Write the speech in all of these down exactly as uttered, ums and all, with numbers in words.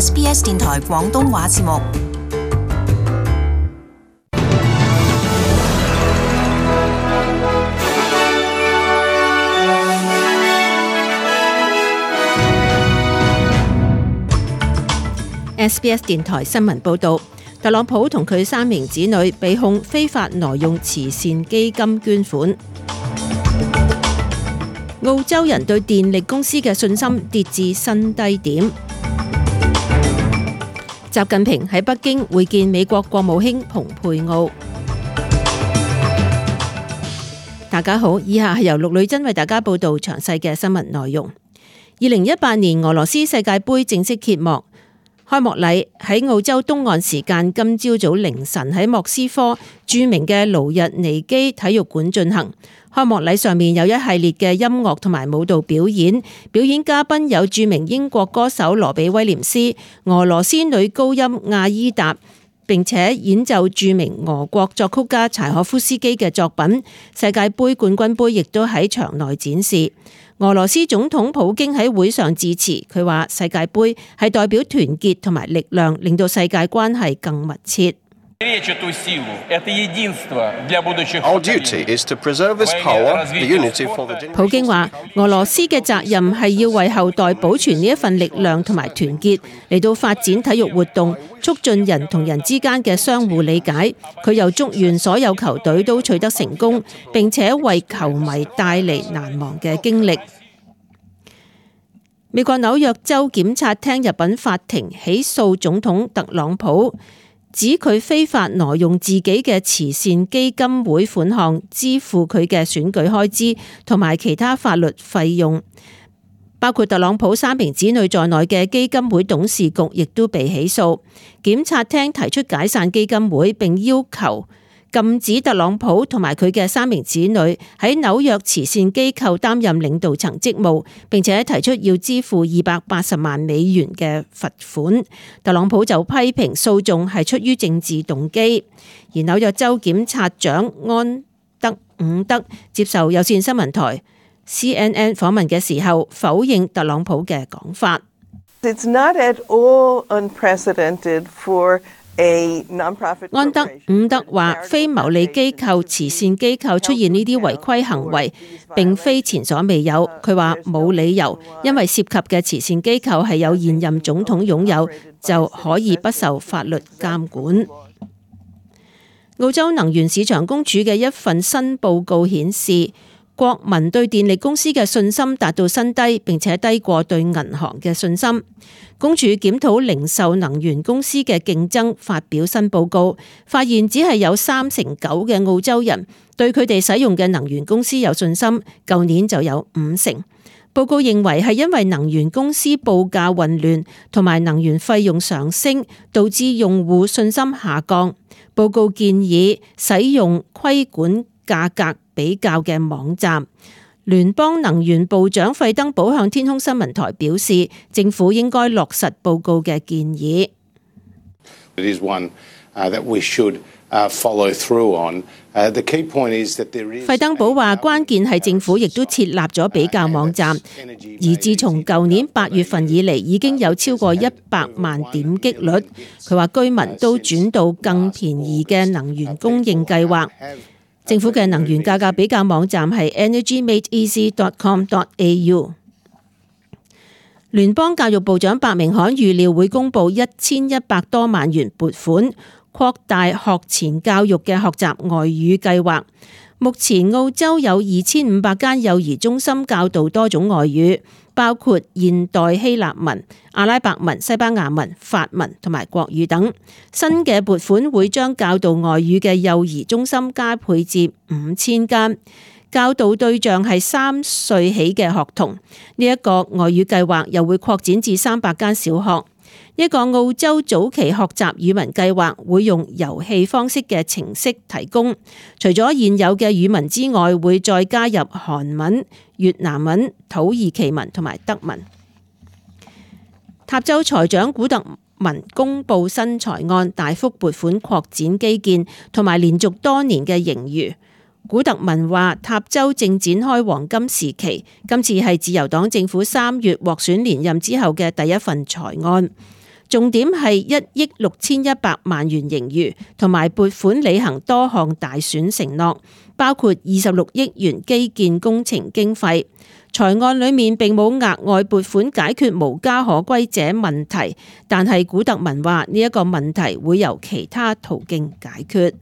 S B S 電台廣東話節目。S B S 電台新聞報導，特朗普同佢三名子女被控非法挪用慈善基金捐款。澳洲人對電力公司嘅信心跌至新低點。習近平喺北京會見美國國務卿蓬佩奧。大家好，以下係由陸女真為大家報導詳細嘅新聞內容。二零一八年俄羅斯世界盃正式揭幕。開幕禮喺澳洲東岸時間今朝早凌晨喺莫斯科著名嘅盧日尼基體育館進行。開幕禮上面有一系列嘅音樂同埋舞蹈表演，表演嘉賓有著名英國歌手羅比威廉斯、俄羅斯女高音亞伊達，並且演奏著名俄國作曲家柴可夫斯基嘅作品。世界盃冠軍盃亦都喺場內展示。俄羅斯總統普京喺會上致辭，佢話世界盃係代表團結同埋力量，令到世界關係更密切。普京話俄羅斯嘅責任係要為後代保存呢一份力量同埋團結，嚟到發展體育活動，促進人同人之間嘅相互理解。佢又祝願所有球隊都取得成功，並且為球迷帶嚟難忘嘅經歷。美國紐約州檢察廳入稟法庭起訴總統特朗普，指佢非法挪用自己嘅慈善基金會款項支付佢嘅選舉開支同埋其他法律費用，包括特朗普三名子女在內嘅基金會董事局亦都被起訴。檢察廳提出解散基金會，並要求禁止特朗普同埋佢嘅三名子女喺紐約慈善機構擔任領導層職務，並且提出要支付二百八十萬美元嘅罰款。特朗普就批評訴訟係出於政治動機，而紐約州檢察長安德伍德接受有線新聞台 C N N 訪問嘅時候，否認特朗普嘅講法。It's not at all unprecedented for安德伍德話：非牟利機構、慈善機構出現呢啲違規行為，並非前所未有。佢話冇理由，因為涉及嘅慈善機構係有現任總統擁有，就可以不受法律監管。澳洲能源市場公署嘅一份新報告顯示，國民對電力公司嘅信心達到新低，並且低過對銀行嘅信心。公署檢討零售能源公司嘅競爭，發表新報告，發現只係有三成九嘅澳洲人對佢哋使用嘅能源公司有信心，舊年就有五成。報告認為係因為能源公司報價混亂同埋能源費用上升，導致用戶信心下降。報告建議使用規管價格比較嘅網站。聯邦能源部長費登堡向天空新聞台表示，政府應該落實報告嘅建議。費登堡話，關鍵係政府亦都設立咗比較網站，而自從舊年八月份以嚟，已經有超過一百萬點擊率。佢話居民都轉到更便宜嘅能源供應計劃。政府嘅能源價格比較網站係 energy made easy dot com dot a u。 聯邦教育部長白明翰預料會公布一千一百多萬元撥款，擴大學前教育嘅學習外語計劃。目前澳洲有二千五百間幼兒中心教導多種外語，包括現代希臘文、阿拉伯文、西班牙文、法文同埋國語等。新嘅撥款會將教導外語嘅幼兒中心加倍至五千間，教導對象係三歲起嘅學童。呢一個外語計劃又會擴展至三百間小學。一個澳洲早期學習語文計劃會用遊戲方式嘅程式提供，除咗現有嘅語文之外，會再加入韓文、越南文、土耳其文同埋德文。塔州財長古特文公布新財案，大幅撥款擴展基建同埋連續多年嘅盈餘。古特文話：塔州正展開黃金時期，今次係自由黨政府三月獲選連任之後嘅第一份財案。重點係一億六千一百萬元盈餘，同埋撥款履行多項大選承諾，包括二十六億元基建工程經費。財案裏面並冇額外撥款解決無家可歸者問題，但係古特文話呢一個問題會由其他途徑解決。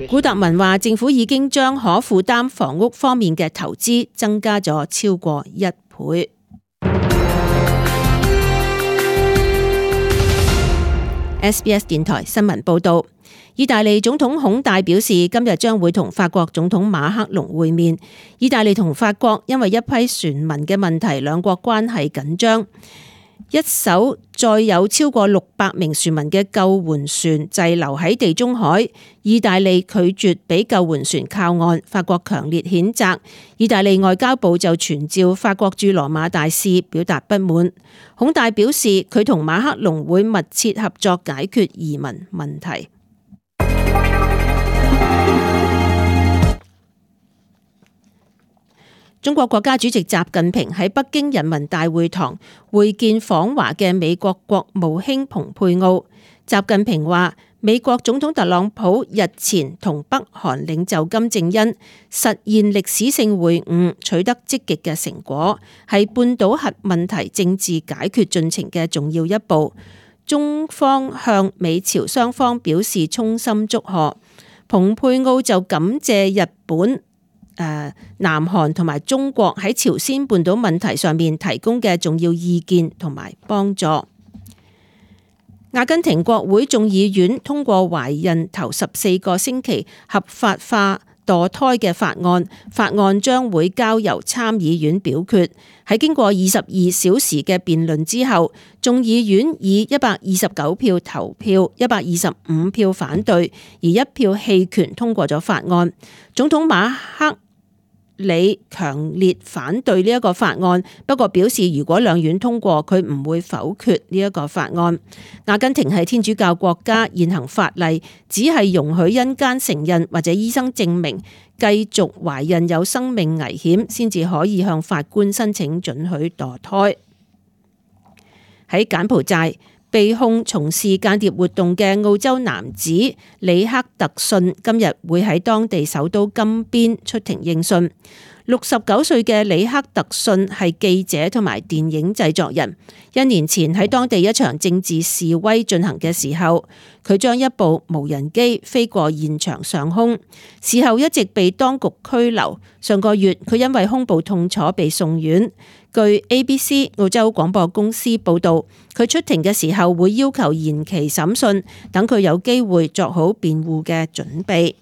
古特文話政府已經將可負擔房屋方面嘅投資增加咗超過一倍。S B S 電台新聞報道，意大利總統孔戴表示，今日將會同法國總統馬克龍會面。意大利同法國因為一批船民嘅問題，兩國關係緊張。一艘載有超過六百名船民嘅救援船滯留喺地中海，意大利拒絕俾救援船靠岸，法國強烈譴責。意大利外交部就傳召法國駐羅馬大使表達不滿。孔戴表示，佢同馬克龍會密切合作解決移民問題。中國國家主席習近平喺北京人民大會堂會見訪華嘅美國國務卿蓬佩奧。習近平話，美國總統特朗普日前同北韓領袖金正恩實現歷史性會晤，取得積極嘅成果，係半島核問題政治解決進程嘅重要一步。中方向美朝雙方表示衷心祝賀。蓬佩奧就感謝日本、誒南韓同埋中國喺朝鮮半島問題上面提供嘅重要意見同埋幫助。阿根廷國會眾議院通過懷孕頭十四個星期合法化墮胎嘅法案，法案將會交由參議院表決。喺經過二十二小時嘅辯論之後，眾議院以一百二十九票投票，一百二十五票反對，而一票棄權通過咗法案。總統馬克里強烈反對呢一個法案，不過表示如果兩院通過，佢唔會否決呢一個法案。阿根廷係天主教國家，現行法例只係容許因姦承認或者醫生證明繼續懷孕有生命危險，先至可以向法官申請准許墮胎。喺柬埔寨，被控從事間諜活動嘅澳洲男子李克特遜今日會喺當地首都金邊出庭應訊。六十九歲嘅李克特遜係記者同埋電影製作人。一年前喺當地一場政治示威進行嘅時候，佢將一部無人機飛過現場上空，事後一直被當局拘留。上個月佢因為胸部痛楚被送院。據 A B C 澳洲廣播公司報導，佢出庭嘅時候會要求延期審訊，等佢有機會作好辯護嘅準備。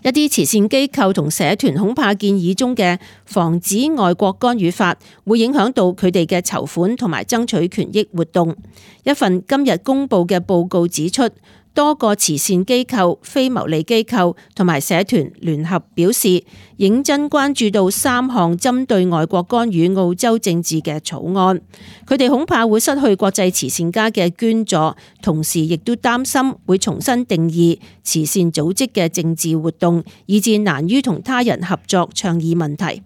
一啲慈善機構同社團恐怕建議中嘅防止外國干預法會影響到佢哋嘅籌款同埋爭取權益活動。一份今日公布嘅報告指出，多個慈善機構、非牟利機構同埋社團聯合表示，認真關注到三項針對外國干預澳洲政治嘅草案。佢哋恐怕會失去國際慈善家嘅捐助，同時亦都擔心會重新定義慈善組織嘅政治活動，以致難於同他人合作倡議問題。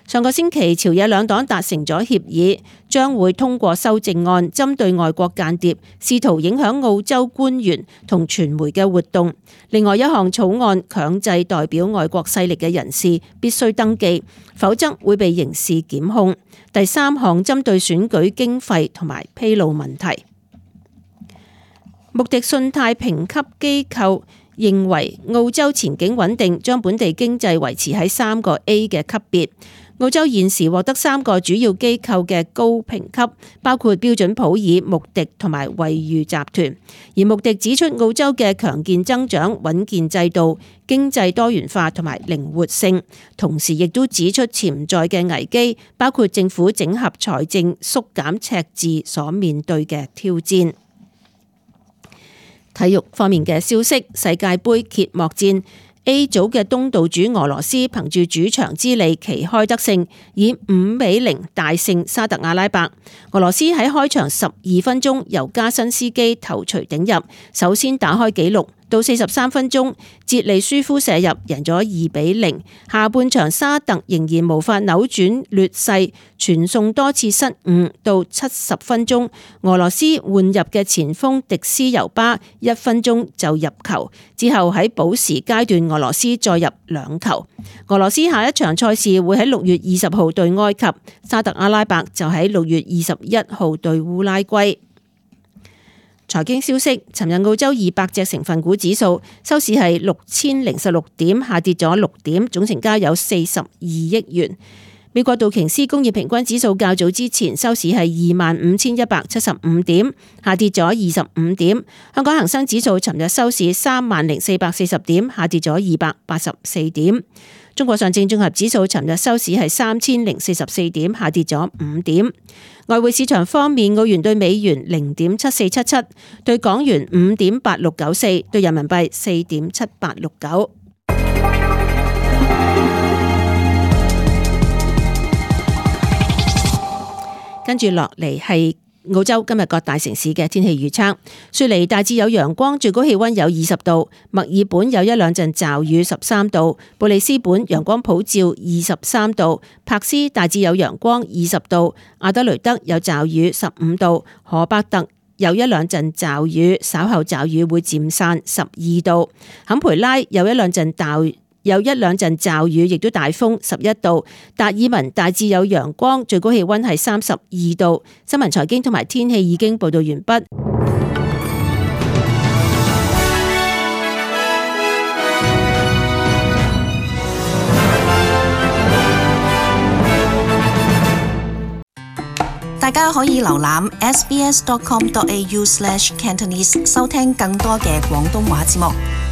上個星期，朝野兩黨達成咗協議，將會通過修正案，針對外國間諜試圖影響澳洲官員同傳媒嘅活動。另外一項草案強制代表外國勢力嘅人士必須登記，否則會被刑事檢控。第三項針對選舉經費同埋披露問題。穆迪信貸評級機構認為澳洲前景穩定，將本地經濟維持喺三個 A 嘅級別。澳洲現時獲得三個主要機構嘅高評級，包括標準普爾、穆迪同埋惠譽集團。而穆迪指出澳洲嘅強健增長、穩健制度、經濟多元化同埋靈活性，同時亦都指出潛在嘅危機，包括政府整合財政、縮減赤字所面對嘅挑戰。體育方面嘅消息，世界盃揭幕戰A 組嘅東道主俄羅斯憑住主場之利旗開得勝，以五比零大勝沙特阿拉伯。俄羅斯喺開場十二分鐘由加辛斯基頭槌頂入，首先打開紀錄，到四十三分鐘，捷利舒夫射入贏咗二比零。下半場沙特仍然無法扭轉劣勢，傳送多次失誤。到七十分鐘，俄羅斯換入嘅前鋒迪斯尤巴一分鐘就入球，之後喺補時階段俄羅斯再入兩球。俄羅斯下一場賽事會喺六月二十號對埃及，沙特阿拉伯就喺六月二十一號對烏拉圭。財經消息，尋日澳洲二百隻成分股指數收市係六千零十六點，下跌咗六點，總成交有四十二億元。美國道瓊斯工業平均指數較早之前收市係二萬五千一百七十五點，下跌咗二十五點。香港恒生指數尋日收市三萬零四百四十點，下跌咗二百八十四點。中國上證綜合指數尋日收市係三千零四十四點，下跌咗五點。外匯市場方面，澳元對美元零點七四七七，對港元五點八六九四，對人民幣四點七八六九。跟住落嚟係澳洲今日各大城市嘅天氣預測。雪梨大致有陽光，最高氣溫有二十度；墨爾本有一兩陣驟雨，十三度；布里斯本陽光普照，二十三度；柏斯大致有陽光，二十度；阿德雷德有驟雨，十五度；荷伯特有一兩陣驟雨，稍後驟雨會漸散，十二度；坎培拉有一兩陣驟有一兩陣驟雨，亦都大風，十一度；達爾文大致有陽光，最高氣溫係三十二度。新聞財經同埋天氣已經報道完畢。大家可以瀏覽 s b s dot com dot a u slash cantonese 收聽更多嘅廣東話節目。